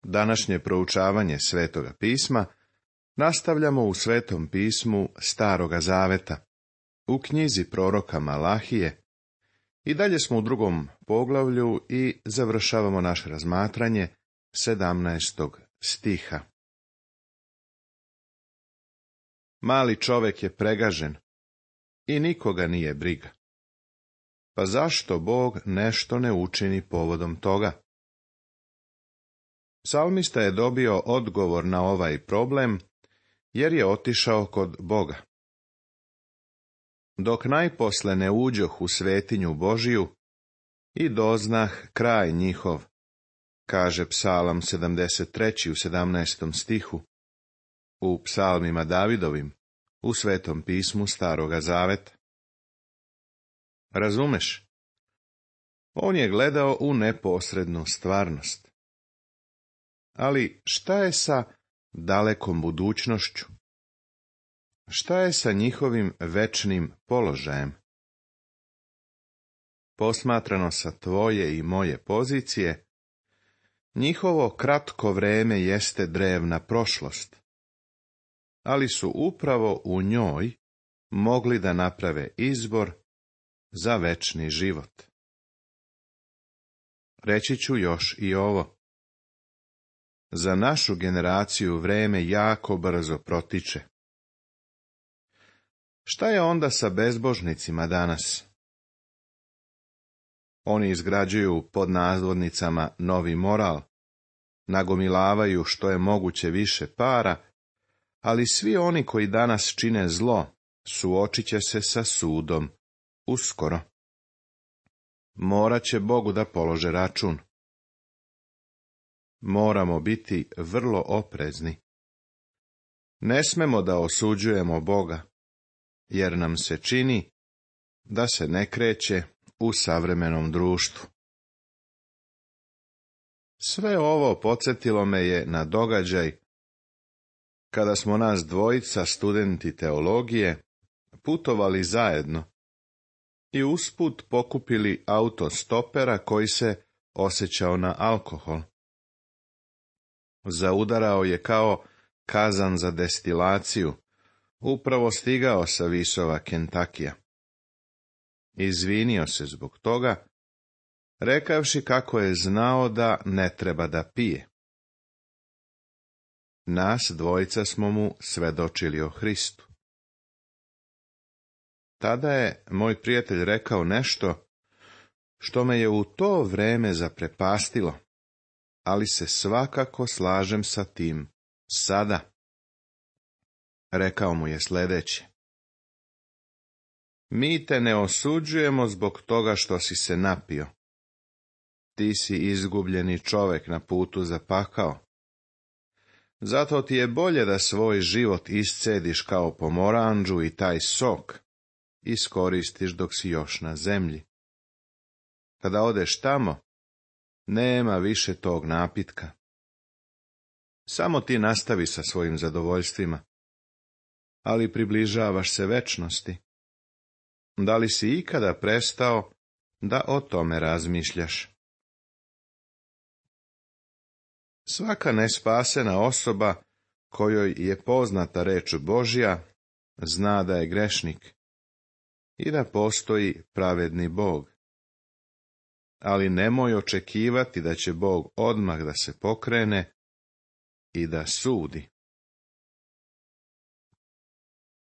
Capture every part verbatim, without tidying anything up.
Današnje proučavanje Svetoga pisma nastavljamo u Svetom pismu Staroga zaveta, u knjizi proroka Malahije, i dalje smo u drugom poglavlju i završavamo naše razmatranje sedamnaestog stiha. Mali čovek je pregažen i nikoga nije briga. Pa zašto Bog nešto ne učini povodom toga? Psalmista je dobio odgovor na ovaj problem, jer je otišao kod Boga. Dok najposle ne uđoh u svetinju Božiju i doznah kraj njihov, kaže Psalam sedamdeset tri u sedamnaestom stihu, u psalmima Davidovim, u Svetom pismu Staroga zaveta. Razumeš? On je gledao u neposrednu stvarnost. Ali šta je sa dalekom budućnošću? Šta je sa njihovim večnim položajem? Posmatrano sa tvoje i moje pozicije, njihovo kratko vreme jeste drevna prošlost, ali su upravo u njoj mogli da naprave izbor za večni život. Reći ću još i ovo. Za našu generaciju vreme jako brzo protiče. Šta je onda sa bezbožnicima danas? Oni izgrađuju pod nazvodnicama novi moral, nagomilavaju što je moguće više para, ali svi oni koji danas čine zlo, suočit će se sa sudom uskoro. Morat će Bogu da polože račun. Moramo biti vrlo oprezni. Ne smemo da osuđujemo Boga, jer nam se čini da se ne kreće u savremenom društvu. Sve ovo podsjetilo me je na događaj kada smo nas dvojica studenti teologije putovali zajedno i usput pokupili autostopera koji se osjećao na alkohol. Zaudarao je kao kazan za destilaciju, upravo stigao sa visova Kentakija. Izvinio se zbog toga, rekavši kako je znao da ne treba da pije. Nas dvojica smo mu svedočili o Hristu. Tada je moj prijatelj rekao nešto što me je u to vreme zaprepastilo, ali se svakako slažem sa tim sada. Rekao mu je sljedeće. Mi te ne osuđujemo zbog toga što si se napio. Ti si izgubljeni čovek na putu za pakao. Zato ti je bolje da svoj život iscediš kao pomoranđu i taj sok iskoristiš dok si još na zemlji. Kada odeš tamo, nema više tog napitka. Samo ti nastavi sa svojim zadovoljstvima, ali približavaš se večnosti. Da li si ikada prestao da o tome razmišljaš? Svaka nespasena osoba kojoj je poznata reč Božja zna da je grešnik i da postoji pravedni Bog. Ali nemoj očekivati da će Bog odmah da se pokrene i da sudi.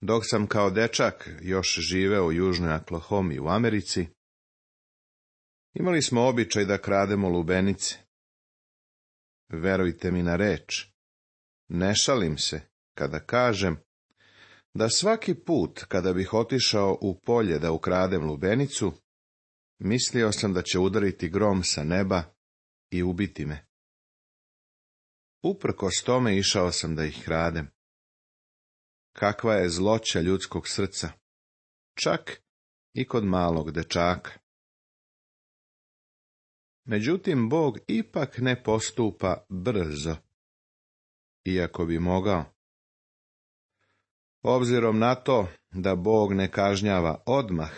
Dok sam kao dečak još živeo u Južnoj Oklahomi u Americi, imali smo običaj da krademo lubenice. Verujte mi na reč, ne šalim se kada kažem da svaki put kada bih otišao u polje da ukradem lubenicu, mislio sam da će udariti grom sa neba i ubiti me. Uprkos tome išao sam da ih kradem. Kakva je zloća ljudskog srca, čak i kod malog dečaka. Međutim, Bog ipak ne postupa brzo, iako bi mogao. Obzirom na to da Bog ne kažnjava odmah,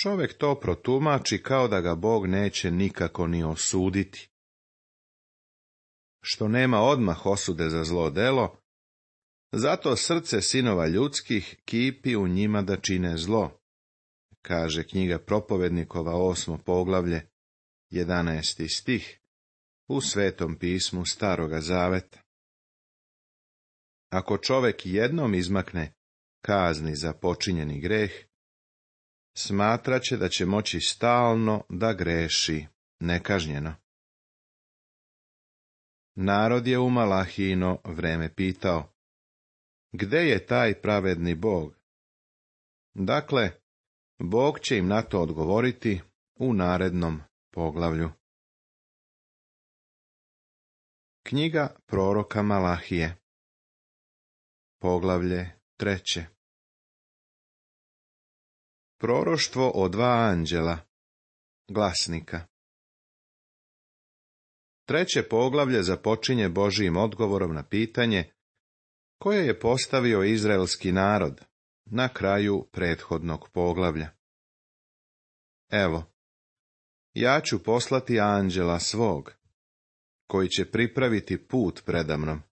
čovjek to protumači kao da ga Bog neće nikako ni osuditi. što nema odmah osude za zlo delo, zato srce sinova ljudskih kipi u njima da čine zlo, kaže knjiga Propovednikova osmo poglavlje, jedanaesti stih, u Svetom pismu Staroga zaveta. Ako čovek jednom izmakne kazni za počinjeni greh, smatraće da će moći stalno da greši nekažnjeno. Narod je u Malahijino vreme pitao, gde je taj pravedni Bog? Dakle, Bog će im na to odgovoriti u narednom poglavlju. Knjiga proroka Malahije, poglavlje treće. Proroštvo o dva anđela, glasnika. Treće poglavlje započinje Božijim odgovorom na pitanje koje je postavio izraelski narod na kraju prethodnog poglavlja. Evo, ja ću poslati anđela svog, koji će pripraviti put predamnom,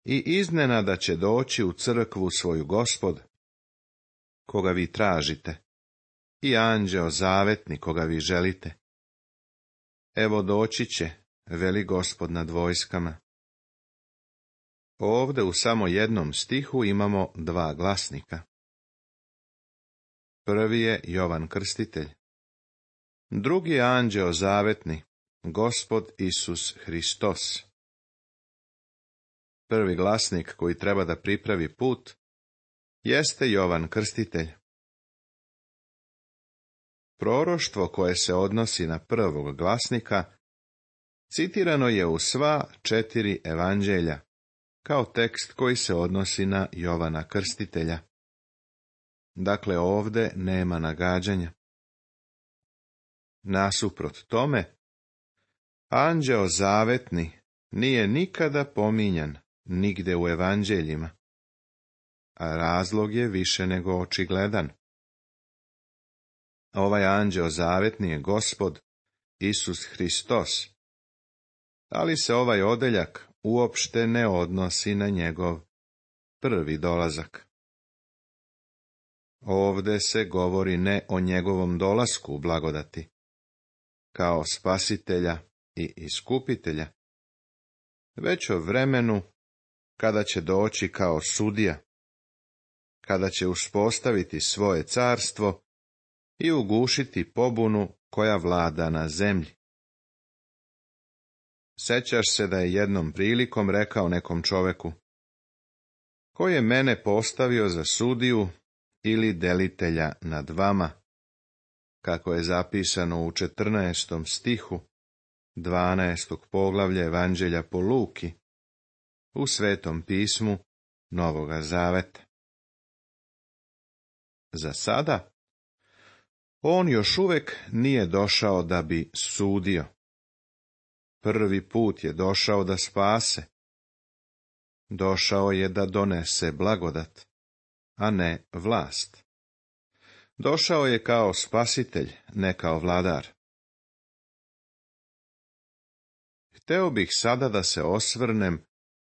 i iznenada će doći u crkvu svoju Gospod, koga vi tražite, i anđeo zavetni koga vi želite. Evo doći će, veli Gospod nad vojskama. Ovde u samo jednom stihu imamo dva glasnika. Prvi je Jovan Krstitelj. Drugi je anđeo zavetni, Gospod Isus Hristos. Prvi glasnik koji treba da pripravi put jeste Jovan Krstitelj. Proroštvo koje se odnosi na prvog glasnika citirano je u sva četiri evanđelja, kao tekst koji se odnosi na Jovana Krstitelja. Dakle, ovde nema nagađanja. Nasuprot tome, anđeo zavetni nije nikada pominjan nigde u evanđeljima, a razlog je više nego očigledan. Ovaj anđeo zavetni je Gospod Isus Hristos, ali se ovaj odeljak uopšte ne odnosi na njegov prvi dolazak. Ovde se govori ne o njegovom dolasku u blagodati, kao spasitelja i iskupitelja, već o vremenu kada će doći kao sudija, kada će uspostaviti svoje carstvo i ugušiti pobunu koja vlada na zemlji. Sećaš se da je jednom prilikom rekao nekom čoveku, ko je mene postavio za sudiju ili delitelja nad vama, kako je zapisano u četrnaestom stihu dvanaestog poglavlja Evanđelja po Luki, u Svetom pismu Novoga zaveta. Za sada, on još uvek nije došao da bi sudio. Prvi put je došao da spase. Došao je da donese blagodat, a ne vlast. Došao je kao spasitelj, ne kao vladar. Hteo bih sada da se osvrnem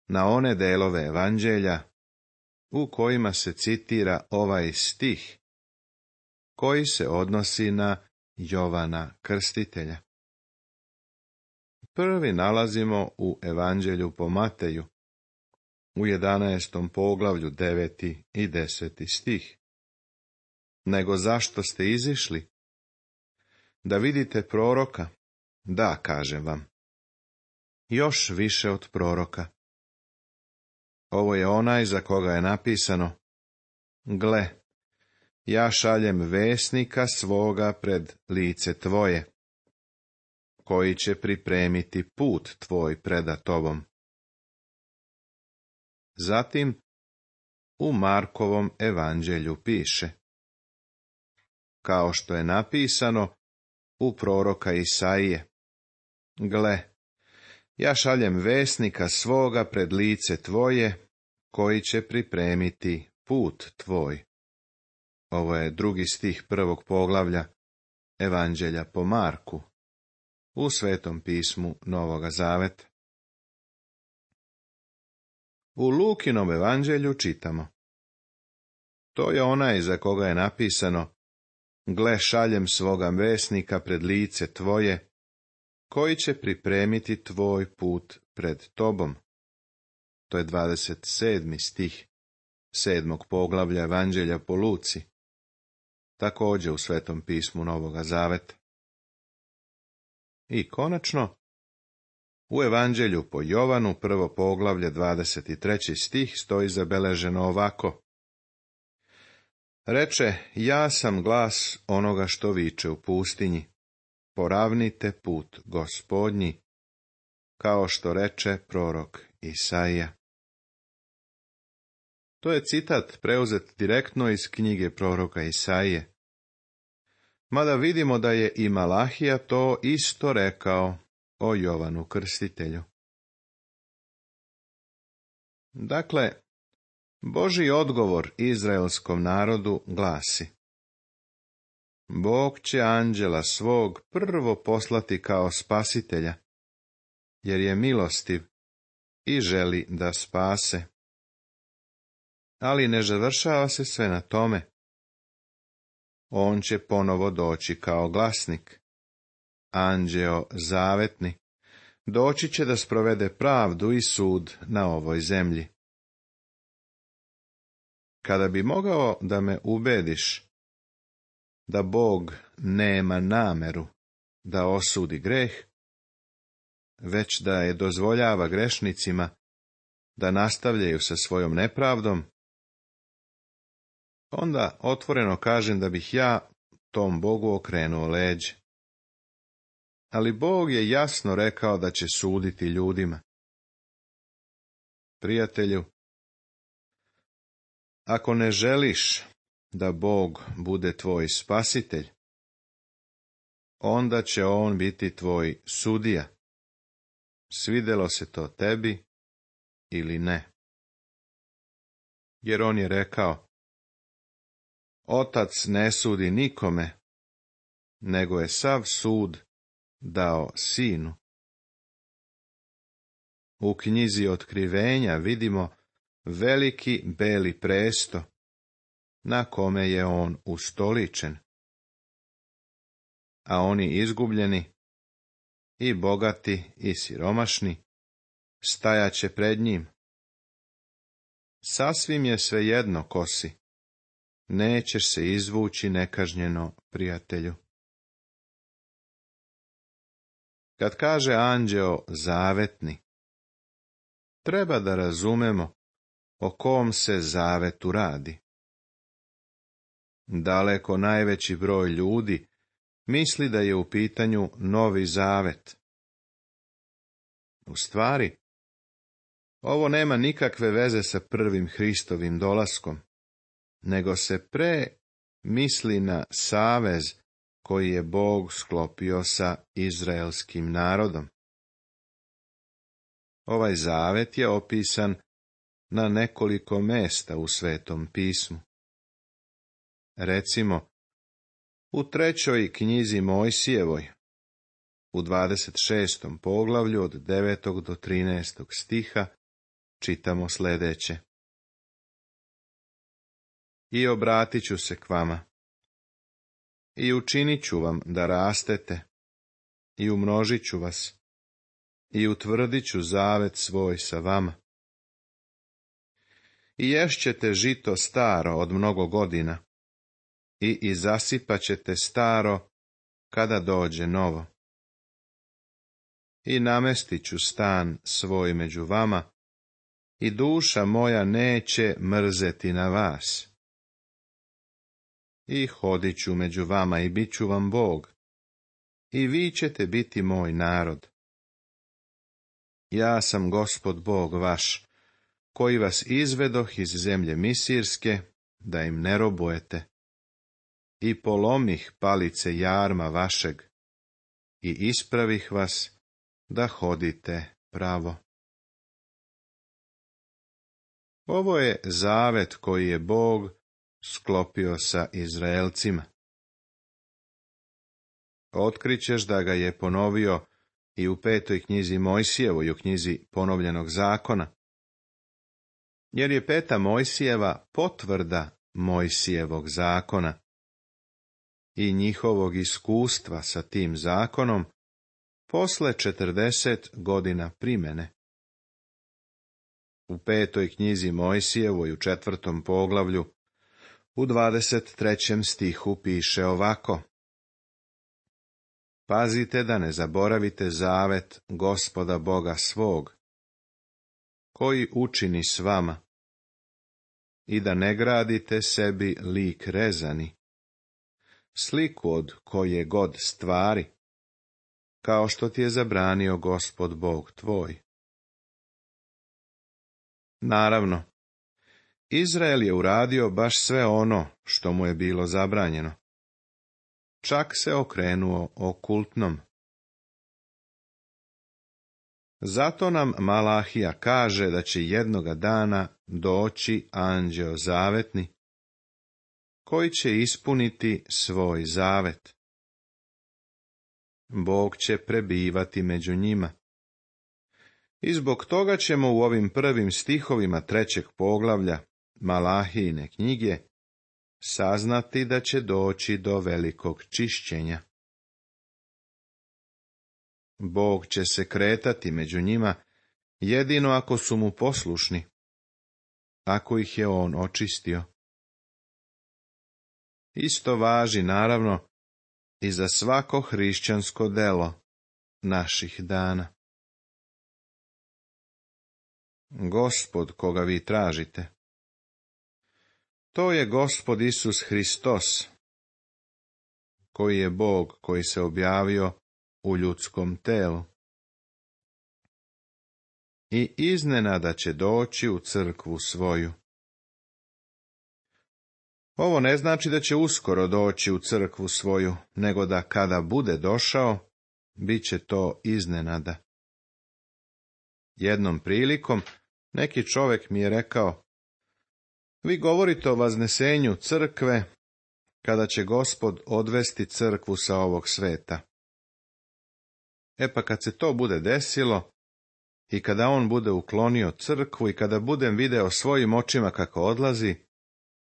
na one delove evanđelja u kojima se citira ovaj stih, koji se odnosi na Jovana Krstitelja. Prvi nalazimo u evanđelju po Mateju, u jedanaestom poglavlju deveti i deseti stih. Nego zašto ste izišli? Da vidite proroka? Da, kažem vam. Još više od proroka. Ovo je onaj za koga je napisano, gle, ja šaljem vesnika svoga pred lice tvoje, koji će pripremiti put tvoj preda tobom. Zatim, u Markovom evanđelju piše, kao što je napisano u proroka Isaije, gle, ja šaljem vesnika svoga pred lice tvoje, koji će pripremiti put tvoj. Ovo je drugi stih prvog poglavlja Evanđelja po Marku, u Svetom pismu Novoga zaveta. U Lukinom evanđelju čitamo: To je onaj za koga je napisano: Gle, šaljem svoga vesnika pred lice tvoje, koji će pripremiti tvoj put pred tobom. To je dvadeset sedmi stih sedmog poglavlja evanđelja po Luci, također u Svetom pismu Novoga Zaveta. I konačno, u evanđelju po Jovanu, prvo poglavlje, dvadeset treći stih, stoji zabeleženo ovako: Reče, ja sam glas onoga što viče u pustinji, poravnite put Gospodnji, kao što reče prorok Isaija. To je citat preuzet direktno iz knjige proroka Isaije. Mada vidimo da je i Malahija to isto rekao o Jovanu Krstitelju. Dakle, Božji odgovor izraelskom narodu glasi: Bog će anđela svog prvo poslati kao spasitelja, jer je milostiv i želi da spase. Ali ne završava se sve na tome. On će ponovo doći kao glasnik, anđeo zavetni, doći će da sprovede pravdu i sud na ovoj zemlji. Kada bi mogao da me ubediš da Bog nema nameru da osudi greh, već da je dozvoljava grešnicima da nastavljaju sa svojom nepravdom, onda otvoreno kažem da bih ja tom Bogu okrenuo leđe. Ali Bog je jasno rekao da će suditi ljudima. Prijatelju, ako ne želiš da Bog bude tvoj spasitelj, onda će on biti tvoj sudija, svidelo se to tebi ili ne. Jer on je rekao: Otac ne sudi nikome, nego je sav sud dao sinu. U knjizi Otkrivenja vidimo veliki beli presto, na kome je on ustoličen. A oni izgubljeni, i bogati i siromašni, stajaće pred njim. Sasvim je svejedno ko si, nećeš se izvući nekažnjeno, prijatelju. Kad kaže anđeo zavetni, treba da razumemo o kom se zavetu radi. Daleko najveći broj ljudi misli da je u pitanju Novi Zavet. U stvari, ovo nema nikakve veze sa prvim Hristovim dolaskom, nego se pre misli na savez koji je Bog sklopio sa izraelskim narodom. Ovaj zavet je opisan na nekoliko mesta u Svetom pismu. Recimo, u trećoj knjizi Mojsijevoj, u dvadeset šestom poglavlju od devetog do trinaestog stiha, čitamo sljedeće: I obratit ću se k vama, i učinit ću vam da rastete, i umnožit ću vas, i utvrdit ću zavet svoj sa vama. I ješćete žito staro od mnogo godina, i izasipat ćete staro kada dođe novo. I namestit ću stan svoj među vama, i duša moja neće mrzeti na vas. I hodit ću među vama i bit ću vam Bog, i vi ćete biti moj narod. Ja sam Gospod Bog vaš, koji vas izvedoh iz zemlje Misirske, da im ne robujete, i polomih palice jarma vašeg, i ispravih vas da hodite pravo. Ovo je zavet koji je Bog sklopio sa Izraelcima. Otkrićeš da ga je ponovio i u petoj knjizi Mojsijevoj, u knjizi ponovljenog zakona. jer je peta Mojsijeva potvrda Mojsijevog zakona i njihovog iskustva sa tim zakonom posle četrdeset godina primene. U petoj knjizi Mojsijevoj u četvrtom poglavlju u dvadeset trećem stihu piše ovako: Pazite da ne zaboravite zavet Gospoda Boga svog, koji učini s vama, i da ne gradite sebi lik rezani, sliku od koje god stvari, kao što ti je zabranio Gospod Bog tvoj. Naravno, Izrael je uradio baš sve ono što mu je bilo zabranjeno. Čak se okrenuo okultnom. Zato nam Malahija kaže da će jednoga dana doći anđeo zavetni, koji će ispuniti svoj zavet. Bog će prebivati među njima. I zbog toga ćemo u ovim prvim stihovima trećeg poglavlja Malahijine knjige saznati da će doći do velikog čišćenja. Bog će se kretati među njima jedino ako su mu poslušni, ako ih je on očistio. Isto važi, naravno, i za svako hrišćansko delo naših dana. Gospod koga vi tražite, to je Gospod Isus Hristos, koji je Bog koji se objavio u ljudskom telu. I iznenada će doći u crkvu svoju. Ovo ne znači da će uskoro doći u crkvu svoju, nego da kada bude došao, bit će to iznenada. Jednom prilikom neki čovjek mi je rekao: vi govorite o vaznesenju crkve, kada će Gospod odvesti crkvu sa ovog sveta. E pa kad se to bude desilo, i kada on bude uklonio crkvu, i kada budem video svojim očima kako odlazi,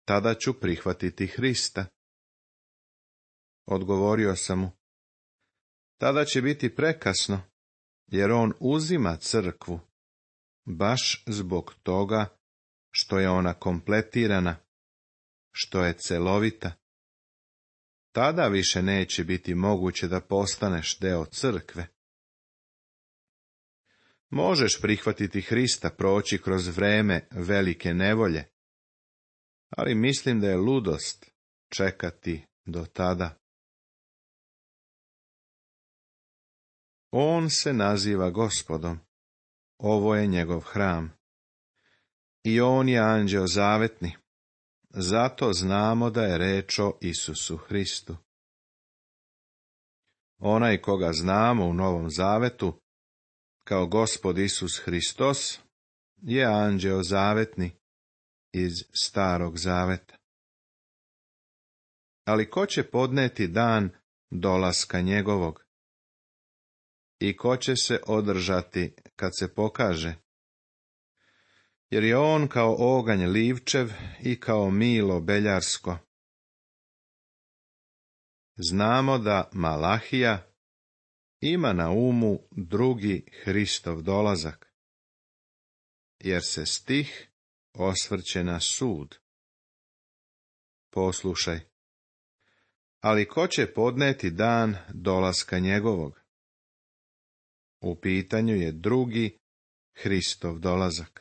tada ću prihvatiti Hrista. Odgovorio sam mu: tada će biti prekasno, jer on uzima crkvu, baš zbog toga što je ona kompletirana, što je celovita. Tada više neće biti moguće da postaneš deo crkve. Možeš prihvatiti Hrista, proći kroz vreme velike nevolje, ali mislim da je ludost čekati do tada. On se naziva Gospodom, ovo je njegov hram. I on je anđeo zavetni, zato znamo da je reč o Isusu Hristu. Onaj koga znamo u Novom Zavetu, kao Gospod Isus Hristos, je anđeo zavetni iz Starog Zaveta. Ali ko će podneti dan dolaska njegovog? I ko će se održati kad se pokaže? Jer je on kao oganj livčev i kao milo beljarsko. Znamo da Malahija ima na umu drugi Hristov dolazak, jer se stih osvrće na sud. Poslušaj, ali ko će podneti dan dolaska njegovog? U pitanju je drugi Hristov dolazak.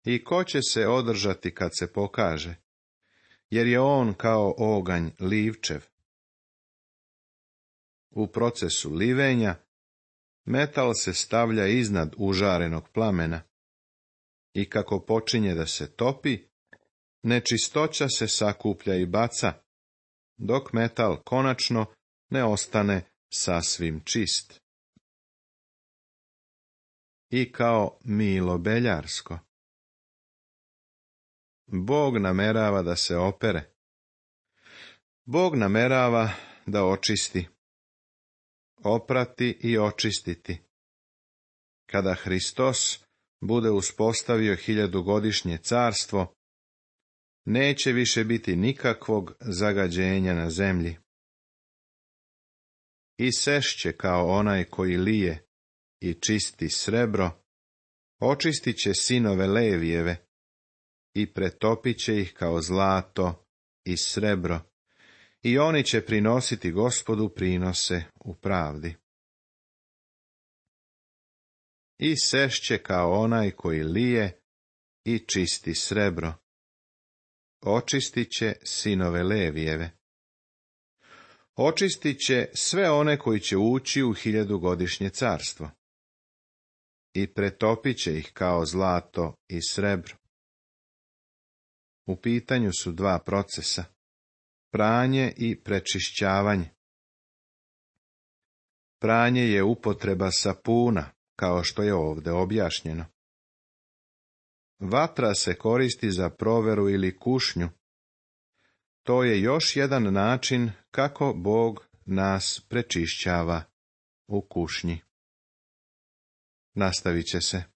I ko će se održati kad se pokaže, jer je on kao oganj livčev. U procesu livenja metal se stavlja iznad užarenog plamena i kako počinje da se topi, nečistoća se sakuplja i baca, dok metal konačno ne ostane sasvim čist. I kao milo beljarsko. Bog namerava da se opere. Bog namerava da očisti, oprati i očistiti. Kada Hristos bude uspostavio hiljadugodišnje carstvo, neće više biti nikakvog zagađenja na zemlji. I sešće kao onaj koji lije i čisti srebro, očistit će sinove Levijeve i pretopit će ih kao zlato i srebro, i oni će prinositi Gospodu prinose u pravdi. I sešće kao onaj koji lije i čisti srebro, očistit će sinove Levijeve. Očistit će sve one koji će ući u hiljadugodišnje carstvo i pretopit će ih kao zlato i srebro. U pitanju su dva procesa, pranje i prečišćavanje. Pranje je upotreba sapuna, kao što je ovdje objašnjeno. Vatra se koristi za proveru ili kušnju. To je još jedan način kako Bog nas prečišćava u kušnji. Nastavit će se.